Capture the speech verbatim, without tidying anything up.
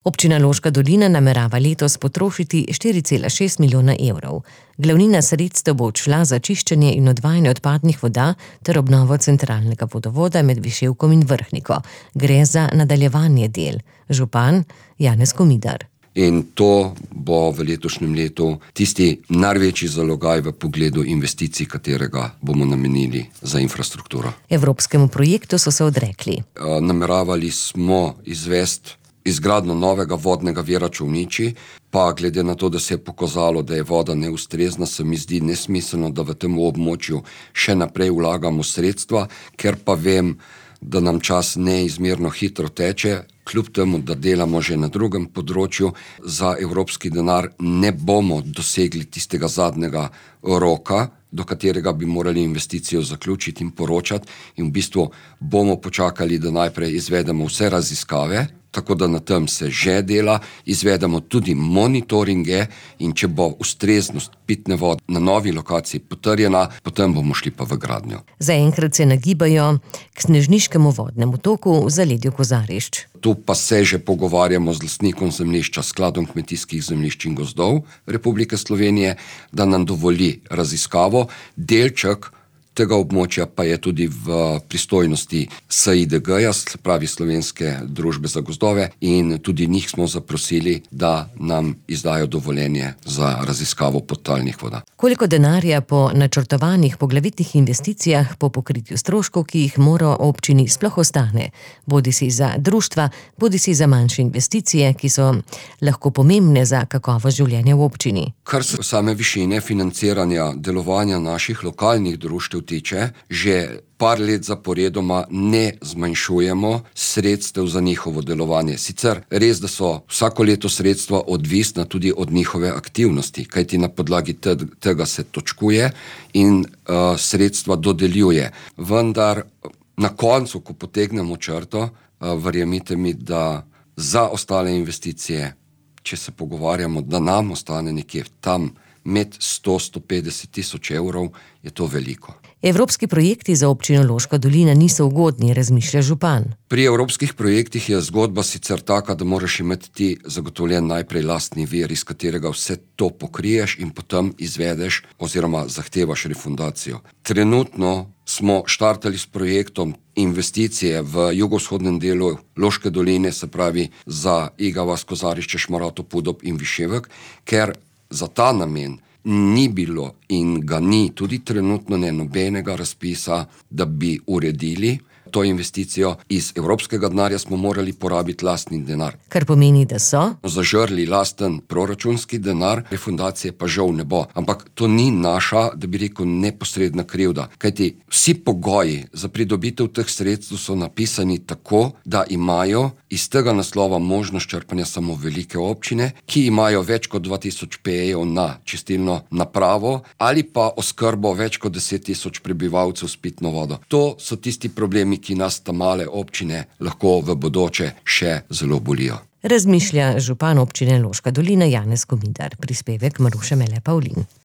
Občina Loška dolina namerava letos potrošiti štiri cela šest milijona evrov. Glavnina sredstev bo odšla za čiščenje in odvajanje odpadnih voda ter obnovo centralnega vodovoda med Viševkom in Vrhniko. Gre za nadaljevanje del. Župan Janez Komidar. In to bo v letošnjem letu tisti največji zalogaj v pogledu investicij, katerega bomo namenili za infrastrukturo. Evropskemu projektu so se odrekli. Nameravali smo izvesti izgradnjo novega vodnega vira Čolniči, pa glede na to, da se je pokazalo, da je voda neustrezna, se mi zdi nesmiselno, da v tem območju še naprej vlagamo sredstva, ker pa vem, da nam čas neizmerno hitro teče, kljub temu, da delamo že na drugem področju, za evropski denar ne bomo dosegli tistega zadnjega roka, do katerega bi morali investicijo zaključiti in poročati, in v bistvu bomo počakali, da najprej izvedemo vse raziskave, tako da na tem se že dela, izvedemo tudi monitoringe, in če bo ustreznost pitne vode na novi lokaciji potrjena, potem bomo šli pa v gradnjo. Zaenkrat se nagibajo k snežniškemu vodnemu toku v zaledju Kozarišč. Tu pa se že pogovarjamo z lastnikom zemljišča, Skladom kmetijskih zemljišč in gozdov Republike Slovenije, da nam dovoli raziskavo. Delček tega območja pa je tudi v pristojnosti S I D G-ja, se pravi Slovenske družbe za gozdove, in tudi njih smo zaprosili, da nam izdajo dovoljenje za raziskavo podtalnih voda. Koliko denarja po načrtovanih poglavitnih investicijah po pokritju stroškov, ki jih mora občini sploh ostane, bodisi za društva, bodisi za manjše investicije, ki so lahko pomembne za kakovost življenja v občini? Kar se same višine financiranja delovanja naših lokalnih društev tiče, že par let zaporedoma ne zmanjšujemo sredstev za njihovo delovanje. Sicer res, da so vsako leto sredstva odvisna tudi od njihove aktivnosti, kajti na podlagi tega se točkuje in uh, sredstva dodeljuje. Vendar na koncu, ko potegnemo črto, uh, verjemite mi, da za ostale investicije, če se pogovarjamo, da nam ostane nekje tam med sto do sto petdeset tisoč evrov, je to veliko. Evropski projekti za občino Loška dolina niso ugodni, razmišlja župan. Pri evropskih projektih je zgodba sicer taka, da moraš imeti ti zagotovljen najprej lastni vir, iz katerega vse to pokriješ in potem izvedeš oziroma zahtevaš refundacijo. Trenutno smo štartali s projektom investicije v jugovzhodnem delu Loške doline, se pravi za Iga vas, Kozarišče, Šmarotov, Podob in Viševek, ker za ta namen ni bilo in ga ni tudi trenutno ne nobenega razpisa, da bi uredili to investicijo. Iz evropskega denarja smo morali porabiti lastni denar. Kar pomeni, da so zažrli lasten proračunski denar, refundacije pa žal ne bo. Ampak to ni naša, da bi rekel, neposredna krivda. Kajti vsi pogoji za pridobitev teh sredstev so napisani tako, da imajo iz tega naslova možnost črpanja samo velike občine, ki imajo več kot dva tisoč pejev na čistilno napravo ali pa oskrbo več kot deset tisoč prebivalcev s pitno vodo. To so tisti problemi, ki nas ta male občine lahko v bodoče še zelo bolijo. Razmišlja župan občine Loška dolina Janez Komidar. Prispevek Maruše Mele Pavlin.